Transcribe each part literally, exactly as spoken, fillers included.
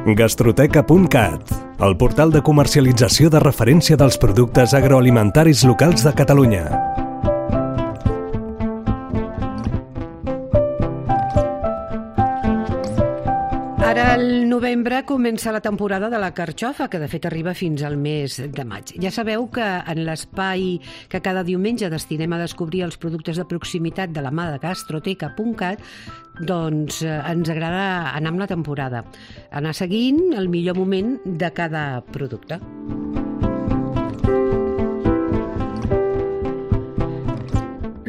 Gastroteca punt cat, el portal de comercialització de referència dels productes agroalimentaris locals de Catalunya. Ara al novembre comença la temporada de la carxofa, que de fet arriba fins al mes de maig. Ja sabeu que en l'espai que cada diumenge destinem a descobrir els productes de proximitat de la mà de Gastroteca punt cat, doncs eh, ens agrada anar amb la temporada, anar seguint el millor moment de cada producte.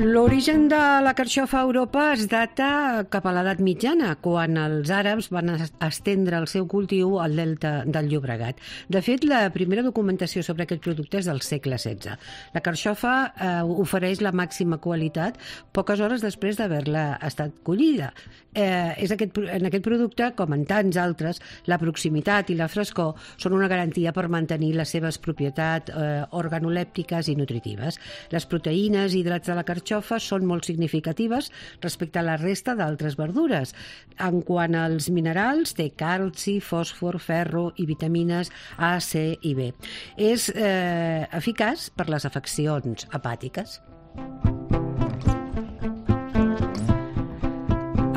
L'origen de la carxofa a Europa es data cap a l'edat mitjana, quan els àrabs van estendre el seu cultiu al delta del Llobregat. De fet, la primera documentació sobre aquest producte és del segle setze. La carxofa eh, ofereix la màxima qualitat poques hores després d'haver-la estat collida. Eh, és aquest, en aquest producte, com en tants altres, la proximitat i la frescor són una garantia per mantenir les seves propietats eh, organolèptiques i nutritives. Les proteïnes i hidrats de la carxofa són molt significatives respecte a la resta d'altres verdures. En quant als minerals, té calci, fòsfor, ferro i vitamines A, C i B. És eh, eficaç per les afeccions hepàtiques.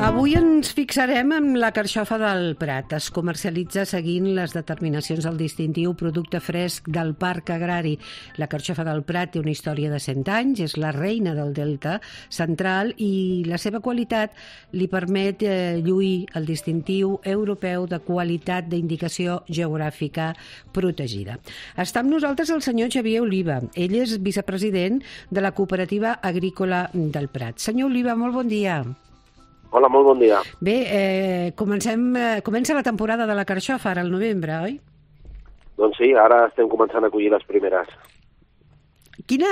Avui ens fixarem en la carxofa del Prat. Es comercialitza seguint les determinacions del distintiu producte fresc del Parc Agrari. La carxofa del Prat té una història de cent anys, és la reina del Delta Central i la seva qualitat li permet eh, lluir el distintiu europeu de qualitat d'indicació geogràfica protegida. Està amb nosaltres el senyor Xavier Oliva. Ell és vicepresident de la Cooperativa Agrícola del Prat. Senyor Oliva, molt bon dia. Hola, molt bon dia. Bé, eh, comencem, eh, comença la temporada de la carxofa ara al novembre, oi? Doncs sí, ara estem començant a collir les primeres. Quina,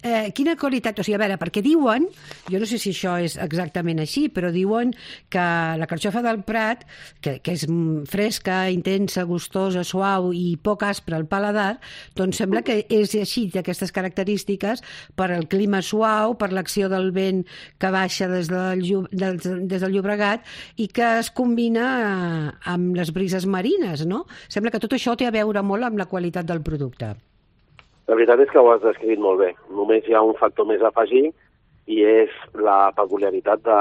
eh, quina qualitat, o sigui, a veure, perquè diuen, jo no sé si això és exactament així, però diuen que la carxofa del Prat, que, que és fresca, intensa, gustosa, suau i poc aspra al paladar, doncs sembla que és així, d'aquestes característiques, per al clima suau, per l'acció del vent que baixa des del, des, des del Llobregat i que es combina amb les brises marines, no? Sembla que tot això té a veure molt amb la qualitat del producte. La veritat és que ho has descrit molt bé. Només hi ha un factor més a afegir i és la peculiaritat de,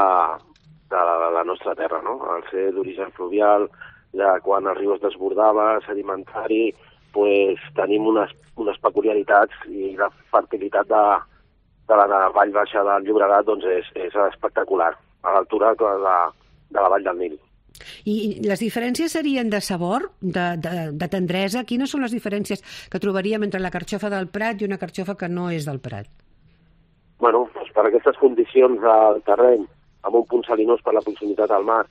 de la, la nostra terra, no? Al ser d'origen fluvial, de quan el riu es desbordava, sedimentari, pues, tenim unes, unes peculiaritats i la fertilitat de, de la vall baixa del Llobregat doncs és, és espectacular, a l'altura de la, de la vall del Nil. I les diferències serien de sabor, de, de, de tendresa? Quines són les diferències que trobaríem entre la carxofa del Prat i una carxofa que no és del Prat? Bueno, doncs per aquestes condicions del terreny, amb un punt salinós per la proximitat al mar,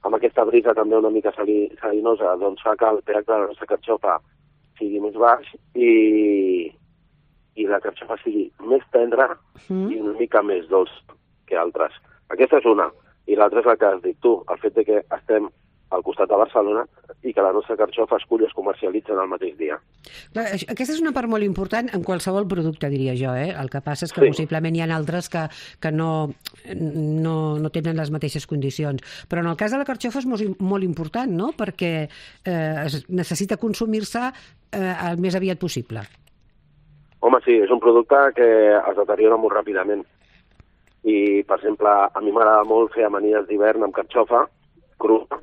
amb aquesta brisa també una mica sali, salinosa, doncs fa que el pH de la nostra carxofa sigui més baix i, i la carxofa sigui més tendra mm. i una mica més dolç que altres. Aquesta és una. I l'altra és la que has dit tu, el fet de que estem al costat de Barcelona i que la nostra carxofa es cull i es comercialitzen el mateix dia. Clar, aquesta és una part molt important en qualsevol producte, diria jo. Eh? El que passa és que sí. Possiblement hi ha altres que, que no, no, no tenen les mateixes condicions. Però en el cas de la carxofa és molt, molt important, no? Perquè eh, es necessita consumir-se eh, el més aviat possible. Home, sí, és un producte que es deteriora molt ràpidament. I, per exemple, a mi m'agrada molt fer amanides d'hivern amb carxofa crua,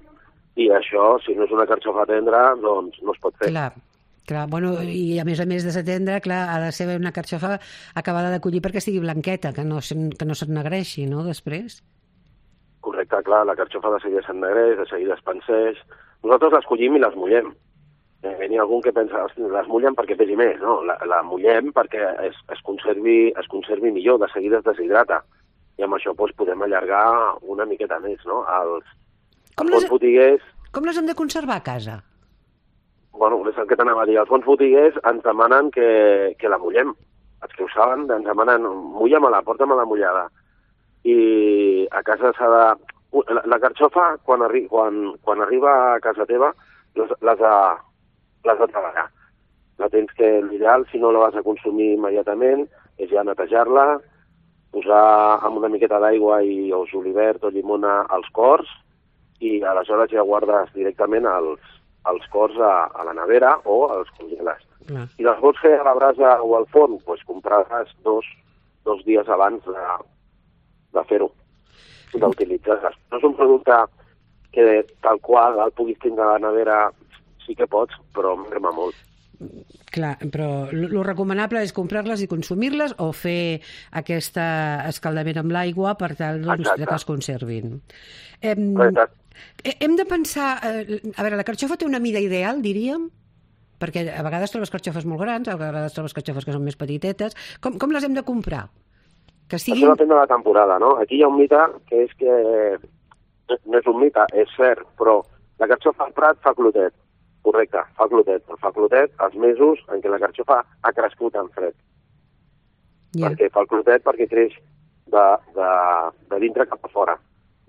i això, si no és una carxofa tendra, doncs no es pot fer. Clar, clar. Bueno, i a més a més de ser tendra, clar, ha de ser una carxofa acabada de collir perquè estigui blanqueta, que no, que no s'ennegreixi, no?, després. Correcte, clar, la carxofa de seguida s'ennegreix, de seguida es panseix. Nosaltres les collim i les mullem. Eh, N'hi ha algun que pensa, les mullen perquè pesi més, no? La, la mullem perquè es, es, conservi, es conservi millor, de seguida es deshidrata. I amb això doncs, podem allargar una miqueta més, no? Els, els bons botiguers... Com les hem de conservar a casa? Bueno, és el que t'anava a dir. Els bons botiguers ens demanen que, que la mullem. Els que ho saben ens demanen, mulla-me-la, porta-me-la mullada. I a casa s'ha de... La, la carxofa, quan, arri... quan, quan arriba a casa teva, les, les, de, les de treballar. La tens que l'ideal, si no la vas a consumir immediatament, és ja netejar-la, posar amb una miqueta d'aigua i o julivert o llimona als cors i aleshores ja guardes directament els, els cors a, a la nevera o els congeles. Clar. Si les vols fer a la brasa o al forn, doncs compraràs dos, dos dies abans de, de fer-ho, d'utilitzar-les. No és un producte que tal qual el puguis tindre a la nevera, sí que pots, però m'agrada molt. Clar, però el recomanable és comprar-les i consumir-les o fer aquest escaldament amb l'aigua per tal doncs, que es conservin. Hem, hem de pensar... Eh, a veure, la carxofa té una mida ideal, diríem? Perquè a vegades trobes carxofes molt grans, a vegades trobes carxofes que són més petitetes. Com, com les hem de comprar? Que siguin... Això depèn de la temporada, no? Aquí hi ha un mite que és que... No és un mite, és cert, però la carxofa al prat fa clotet. Correcte, fa clotet, però fa clotet els mesos en què la carxofa ha crescut en fred. Yeah. Perquè fa el clotet perquè creix de, de, de dintre cap a fora.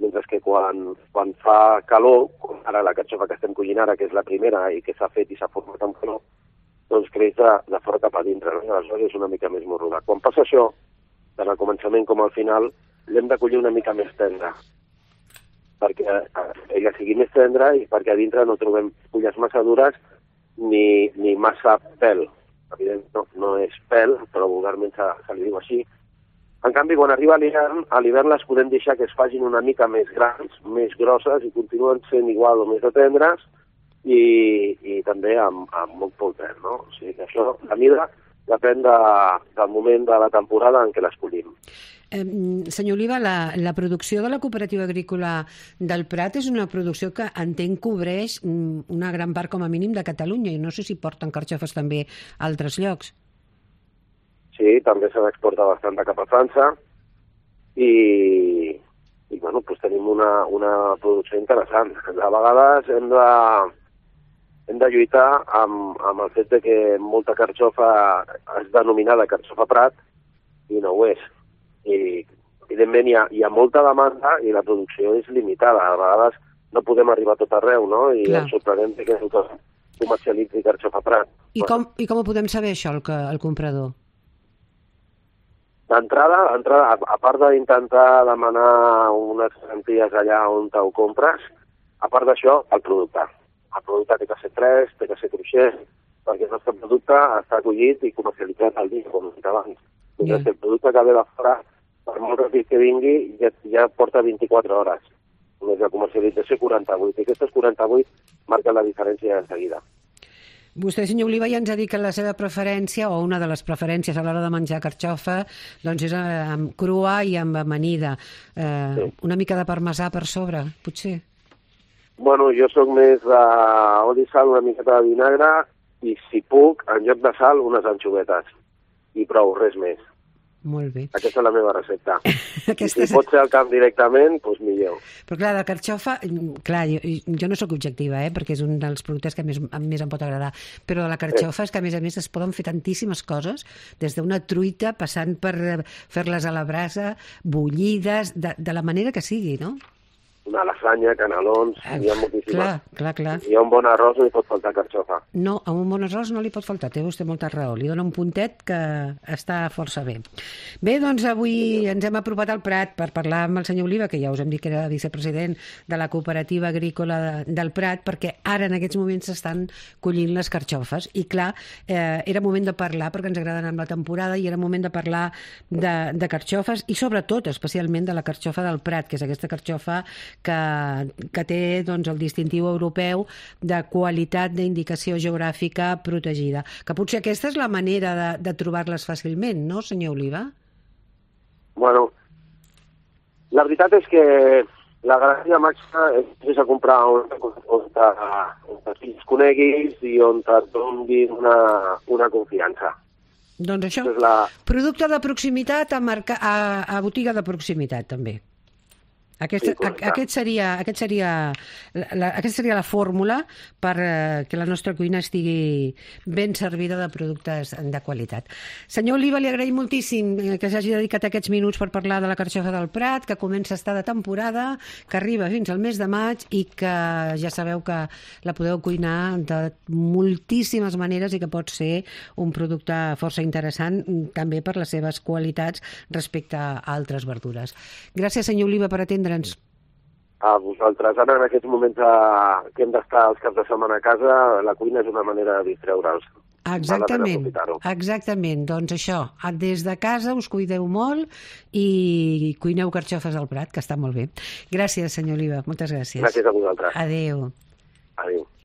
Mentre que quan, quan fa calor, com ara la carxofa que estem collint ara, que és la primera i que s'ha fet i s'ha format amb calor, doncs creix de, de fora cap a dintre, no? I aleshores és una mica més morruda. Quan passa això, tant al començament com al final, l'hem de collir una mica més tendra, perquè ella sigui més tendra i perquè a dintre no trobem fulles massa dures ni, ni massa pèl. Evidentment no, no és pèl, però vulgarment se, se li diu així. En canvi, quan arriba l'hivern, a l'hivern les podem deixar que es facin una mica més grans, més grosses i continuen sent igual o més de tendres i, i també amb, amb molt poc pèl, no? O sigui que això, la mida, depèn de, del moment de la temporada en què les collim. Eh, senyor Oliva, la, la producció de la cooperativa agrícola del Prat és una producció que entenc cobreix una gran part com a mínim de Catalunya i no sé si porten carxofes també a altres llocs. Sí, també se n'exporta bastant cap a França i, i bueno, doncs tenim una, una producció interessant. A vegades hem de, hem de lluitar amb, amb el fet de que molta carxofa és denominada carxofa Prat i no ho és. I, evidentment, hi ha, hi ha molta demanda i la producció és limitada. A vegades no podem arribar a tot arreu, no? I ens sorprenem que tothom comercialitzi carxofa Prat. I com, I com ho podem saber, això, el, el comprador? D'entrada, a, a part d'intentar demanar unes garanties allà on ho compres, a part d'això, el producte. El producte té que ser fresc, té que ser cruixent, perquè el nostre producte està acollit i comercialitzat al dia, com he dit abans. Mentre yeah. que el producte que ve de fora, per molt ràpid que vingui, ja, ja porta vint-i-quatre hores. Més la comercialització quaranta-vuit. I aquestes quaranta-vuit marquen la diferència de seguida. Vostè, senyor Oliva, ja ens ha dit que la seva preferència, o una de les preferències a l'hora de menjar carxofa, doncs és amb crua i amb amanida. Eh, sí. Una mica de parmesà per sobre, potser? Bueno, jo sóc més d'oli, sal, una miqueta de vinagre i, si puc, en lloc de sal, unes anxovetes. I prou, res més. Molt bé. Aquesta és la meva recepta. Aquesta... Si pot ser al camp directament, doncs millor. Però clar, la carxofa, clar, jo, jo no sóc objectiva, eh, perquè és un dels productes que més, més em pot agradar, però de la carxofa és que a més a més es poden fer tantíssimes coses, des d'una truita, passant per fer-les a la brasa, bullides, de, de la manera que sigui, no? Una lasanya, canelons, ah, hi ha moltíssimes. Clar, clar, clar. Hi ha un bon arròs, no li pot faltar carxofa. No, a un bon arròs no li pot faltar, té vostè molta raó. Li dona un puntet que està força bé. Bé, doncs avui ens hem apropat al Prat per parlar amb el senyor Oliva, que ja us hem dit que era vicepresident de la cooperativa agrícola de, del Prat, perquè ara en aquests moments s'estan collint les carxofes. I clar, eh, era moment de parlar, perquè ens agraden amb la temporada, i era moment de parlar de, de carxofes, i sobretot, especialment, de la carxofa del Prat, que és aquesta carxofa que, que té doncs, el distintiu europeu de qualitat d'indicació geogràfica protegida. Que potser aquesta és la manera de, de trobar-les fàcilment, no, senyor Oliva? Bueno, la veritat és que la garantia màxima és a comprar on, on, on es coneguis i on et donin una, una confiança. Doncs això, la... producte de proximitat a, marca, a, a botiga de proximitat, també. Aquest, sí, aquest seria, aquest seria la, aquesta seria la fórmula per eh, que la nostra cuina estigui ben servida de productes de qualitat. Senyor Oliva, li agraïm moltíssim que s'hagi dedicat aquests minuts per parlar de la carxofa del Prat, que comença a estar de temporada, que arriba fins al mes de maig i que ja sabeu que la podeu cuinar de moltíssimes maneres i que pot ser un producte força interessant també per les seves qualitats respecte a altres verdures. Gràcies, senyor Oliva, per atendre. a vosaltres. Ara, en aquests moments a, que hem d'estar els caps de setmana a casa, la cuina és una manera de distreure'ls. Exactament, exactament. Doncs això, des de casa us cuideu molt i cuineu carxofes al Prat, que està molt bé. Gràcies, senyor Oliva, moltes gràcies. Gràcies a vosaltres. Adéu. Adéu.